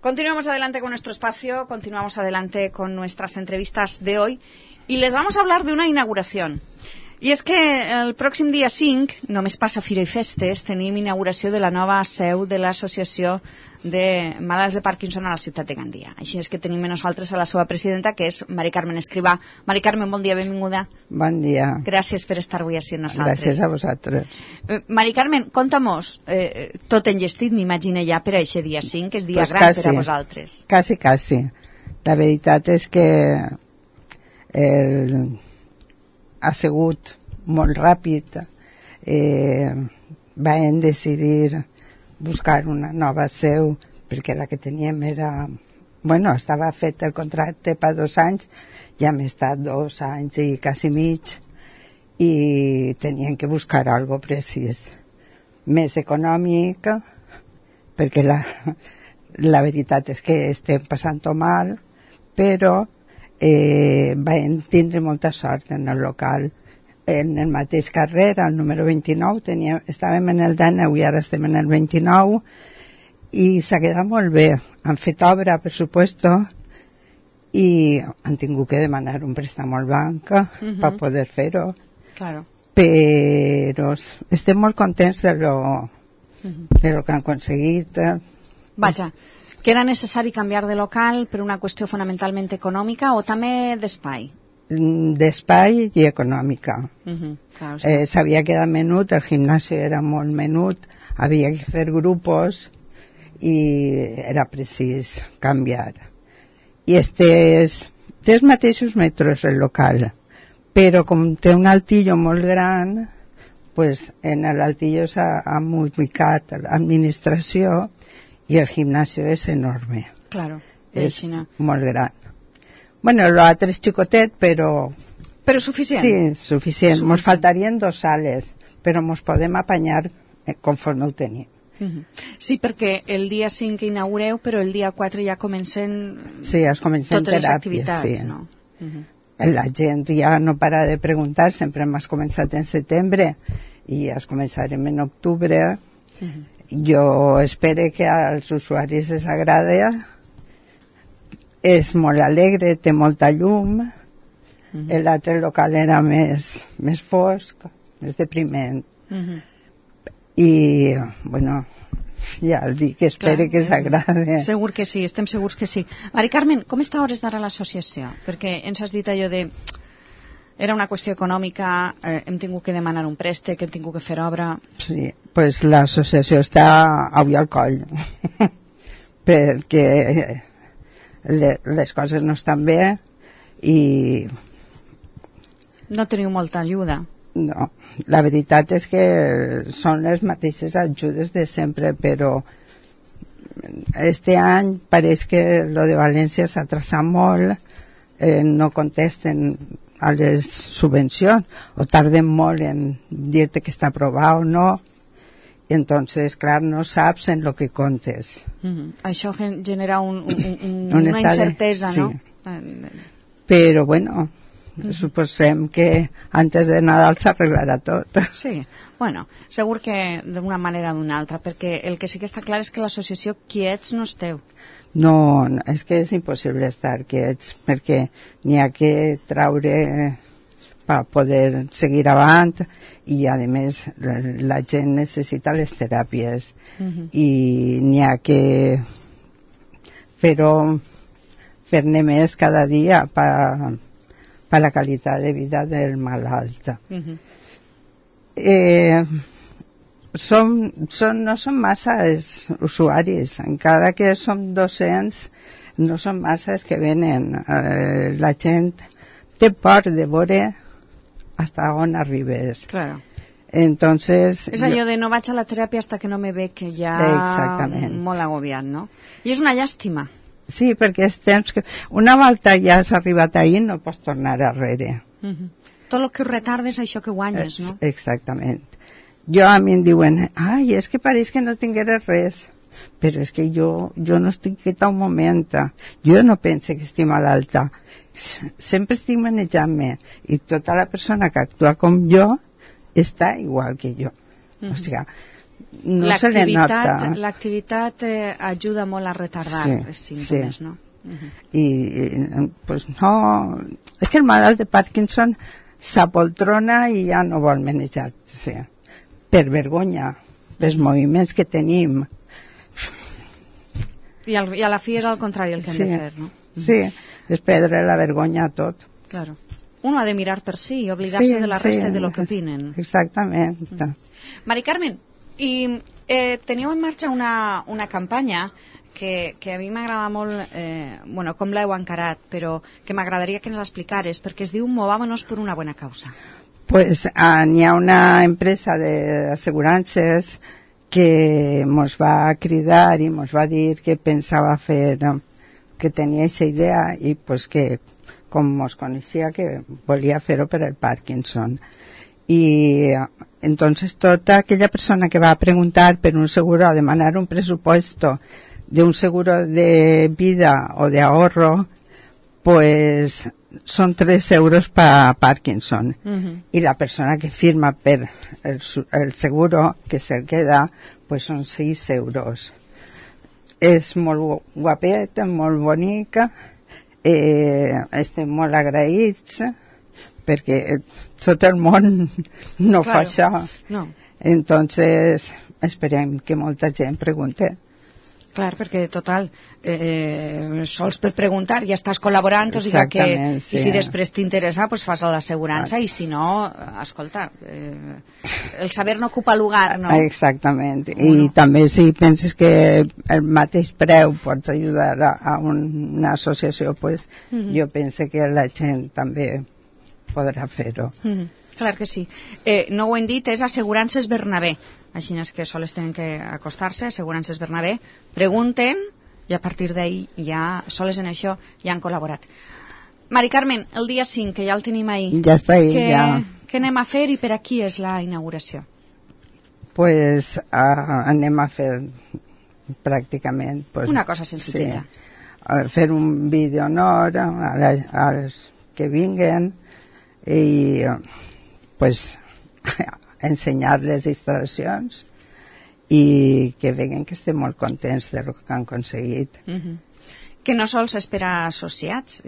Continuamos adelante con nuestro espacio, continuamos adelante con nuestras entrevistas de hoy y les vamos a hablar de una inauguración. I és que el pròxim dia 5, només passa Fira i Festes, tenim inauguració de la nova seu de l'Associació de Malalts de Parkinson a la ciutat de Gandia. Així és que tenim a nosaltres a la seva presidenta, que és Mari Carmen Escrivà. Mari Carmen, bon dia, benvinguda. Bon dia. Gràcies per estar avui així amb nosaltres. Gràcies a vosaltres. Mari Carmen, conta-mos, tot enllestit, m'imagino ja, per a aquest dia 5, que és dia gran per a vosaltres. Quasi. La veritat és que ha sigut molt ràpid. Vam decidir buscar una nova seu perquè la que teníem era... Bueno, estava fet el contracte per 2 anys, ja hem estat 2 anys i quasi mig i teníem que buscar algo precís, més econòmic, perquè la veritat és que estem passant-ho mal, però vam tindre molta sort en el local. En el mateix carrer, al número 29, estàvem en el 19 i ara estem en el 29, i s'ha quedat molt bé. Han fet obra, per supuesto, i han tingut que demanar un préstec al banc per poder fer-ho. Claro. Però estem molt contents de lo que han aconseguit. Vaja, que era necessari canviar de local per una qüestió fonamentalment econòmica o també d'espai? D'espai i econòmica. Claro, sí. S'havia quedat menut, el gimnàs era molt menut, havia que fer grupos i era precís canviar. I té els mateixos metres el local, però com té un altillo molt gran, pues en l'altillo s'ha ubicat l'administració i el gimnàs és enorme. Claro, és molt gran. Bueno, l'altre és xicotet, però... Però suficient? Sí, suficient. Ens faltarien 2 sales, però ens podem apanyar conforme ho tenim. Sí, perquè el dia 5 inaugureu, però el dia 4 ja comencen... Sí, es comencen totes les teràpies, activitats, sí. No? La gent ja no para de preguntar, sempre hem començat en setembre i ja es començarem en octubre. Jo espero que als usuaris els agradi. És molt alegre, té molta llum. L'altre local era més fosc, més depriment. I, bueno, ja el dic, espero que s'agradi. Segur que sí, estem segurs que sí. Mari Carmen, com està a hores d'ara l'associació? Perquè ens has dit allò de... Era una qüestió econòmica, hem tingut que demanar un préstec, hem tingut que fer obra... Sí, doncs l'associació està avui al coll, perquè les coses no estan bé i... No teniu molta ajuda? No, la veritat és que són les mateixes ajudes de sempre, però este any pareix que lo de València s'ha atrasat molt, no contesten a les subvencions o tarden molt en dir-te que està aprovat o no, i entonces, clar, no saps en lo que comptes. Això genera una incertesa, sí. No? Però, bueno, suposem que antes de Nadal s'arreglarà tot. Sí, bueno, segur que d'una manera o d'una altra, perquè el que sí que està clar és que l'associació quiets no esteu. No, és que és impossible estar quiets, perquè n'hi ha que traure per poder seguir avant i, a més, la gent necessita les teràpies i n'hi ha que fer-ne més cada dia per la qualitat de vida del malalt. No són massa els usuaris, encara que som 200, no són massa els que venen. La gent té por de veure hasta on arribes. Claro. Entonces, és allò de no vaig a la teràpia hasta que no me veig ja molt agobiat, no? I és una llàstima. Sí, perquè és temps que... Una volta ja has arribat ahir, no pots tornar arrere. Tot el que retardes, això que guanyes, no? Exactament. A mi em diuen, ai, és que pareix que no tingués res, però és que jo no estic quieta un moment, jo no penso que estic malalta, sempre estic manejant-me, i tota la persona que actua com jo està igual que jo. O sigui, no se li nota. L'activitat ajuda molt a retardar els símptomes, no? I pues no, és que el malalt de Parkinson s'apoltrona i ja no vol manejar-se per vergonya, pels moviments que tenim. I a la fi és al contrari el que hem de fer, no? Sí, és perdre la vergonya a tot. Claro. Uno ha de mirar per si i oblidar-se de la resta de lo que opinen. Exactament. Mari Carmen, i teniu en marxa una campanya que a mi m'agrada molt, com l'heu encarat, però que m'agradaria que ens l'explicares, perquè es diu Movámonos por una buena causa. Pues n'hi ha una empresa d'assegurances que ens va cridar i ens va dir que pensava fer, que tenia aquesta idea i pues que com ens coneixia que volia fer-ho per el Parkinson. Y entonces toda aquella persona que va a preguntar por un seguro, a demanar un presupuesto de un seguro de vida o de ahorro, pues son 3 euros para Parkinson. Y la persona que firma per el seguro que se queda, pues son 6 euros. És molt guapeta, molt bonica, estem molt agraïts, perquè tot el món no fa això. No. Entonces esperem que molta gent pregunte. Clar, perquè total, sols per preguntar ja estàs col·laborant, o sigui que i si després t'interessa pues fas l'assegurança i si no, escolta, el saber no ocupa lugar, no? Exactament, i també si penses que el mateix preu pots ajudar a una associació, pues jo penso que la gent també podrà fer-ho. Clar que sí. No ho hem dit, és Assegurances Bernabé. Així és que sols tenen que acostar-se, Assegurances Bernabé, pregunten i a partir d'ahir ja, sols en això, ja han col·laborat. Mari Carmen, el dia 5, que ja el tenim ahir. Ja està ahí, ja. Què anem a fer i per a qui és la inauguració? Pues anem a fer pràcticament... Pues, una cosa senzilla. Sí, fer un vídeo honor als que vinguen i pues ensenyar les instal·lacions i que veguen que estem molt contents del que han aconseguit. Que no sols és per a associats,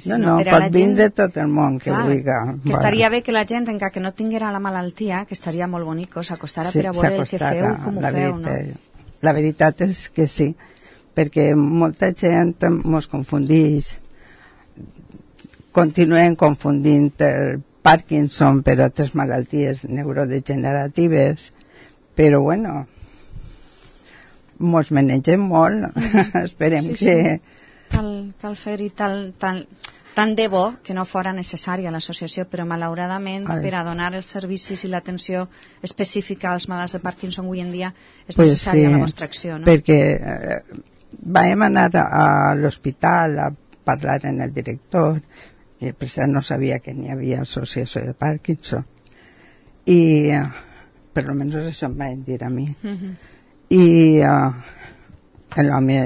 sinó no, per a la gent... pot vindre tot el món que vulgui. Que estaria bé que la gent, encara que no tinguera la malaltia, que estaria molt bonic, s'acostara per a veure el que feu i com ho feu, no? La veritat és que sí, perquè molta gent mos confundeix, continuen confundint el Parkinson per altres malalties neurodegeneratives, però bueno, mos manegem molt, esperem que... Cal fer-hi tant de bo que no fora necessària l'associació, però malauradament per a donar els servicis i l'atenció específica als malalts de Parkinson avui en dia és necessària la vostra acció, no? Perquè vam anar a l'hospital a parlar amb el director, que per cert no sabia que n'hi havia associació de Parkinson, i per almenys això em van dir a mi. I l'home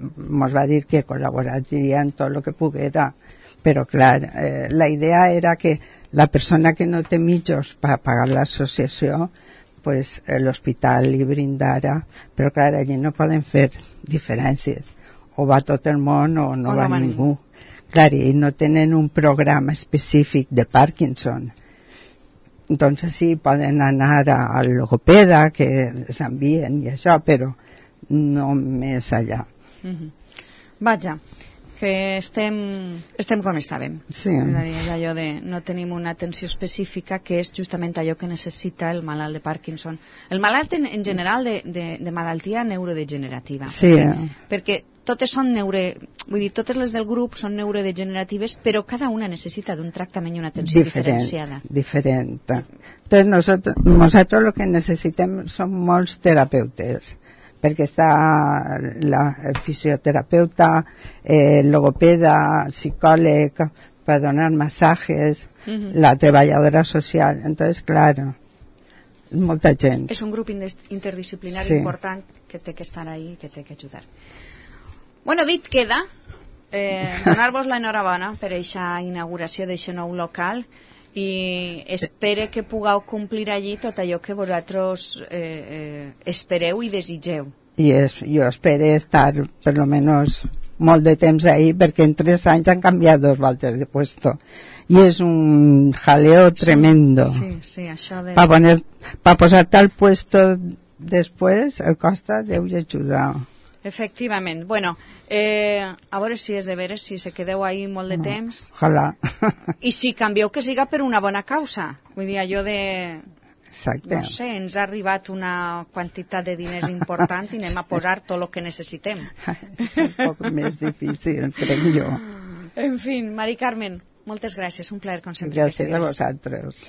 ens va dir que col·laboraria en tot el que poguera, però clar, la idea era que la persona que no té mitjans per pagar l'associació, pues l'hospital li brindara, però clar, allí no poden fer diferències, o va tot el món o no va ningú. Clar, i no tenen un programa específic de Parkinson. Entonces sí, poden anar al logopeda, que les envien i això, però no més allà. Vaja, que estem com estàvem. Sí. És allò de no tenim una atenció específica, que és justament allò que necessita el malalt de Parkinson. El malalt en general de malaltia neurodegenerativa. Sí. Perquè totes són totes les del grup són neurodegeneratives, però cada una necessita d'un tractament i una atenció diferenciada. Diferent. Entonces nosotros lo que necessitem són molts terapeutes, perquè està el fisioterapeuta, el logopeda, psicòleg, per donar masajes, la treballadora social. Entonces, claro, molta gent. És un grup interdisciplinari important que té que estar ahí, que té que ajudar. Bueno, dit queda donar-vos l'enhorabona per aquesta inauguració d'aquest nou local Sí. i espere que pugueu complir allí tot allò que vosaltres espereu i desitgeu. Jo espero estar per lo menos molt de temps ahí, perquè en 3 anys han canviat 2 voltes de puesto i és un jaleo tremendo. Sí, això de... para posarte al puesto después el costa Déu i ajuda. Efectivament. Bueno, a veure si és de veres, si se quedeu ahí molt de temps. Ojalà. I si canvieu, que siga per una bona causa. Vull dir, allò de... Exacte. No sé, ens ha arribat una quantitat de diners important i anem a posar tot el que necessitem. És un poc més difícil, crec jo. En fi, Mari Carmen, moltes gràcies. Un plaer, com sempre. Gràcies a vosaltres.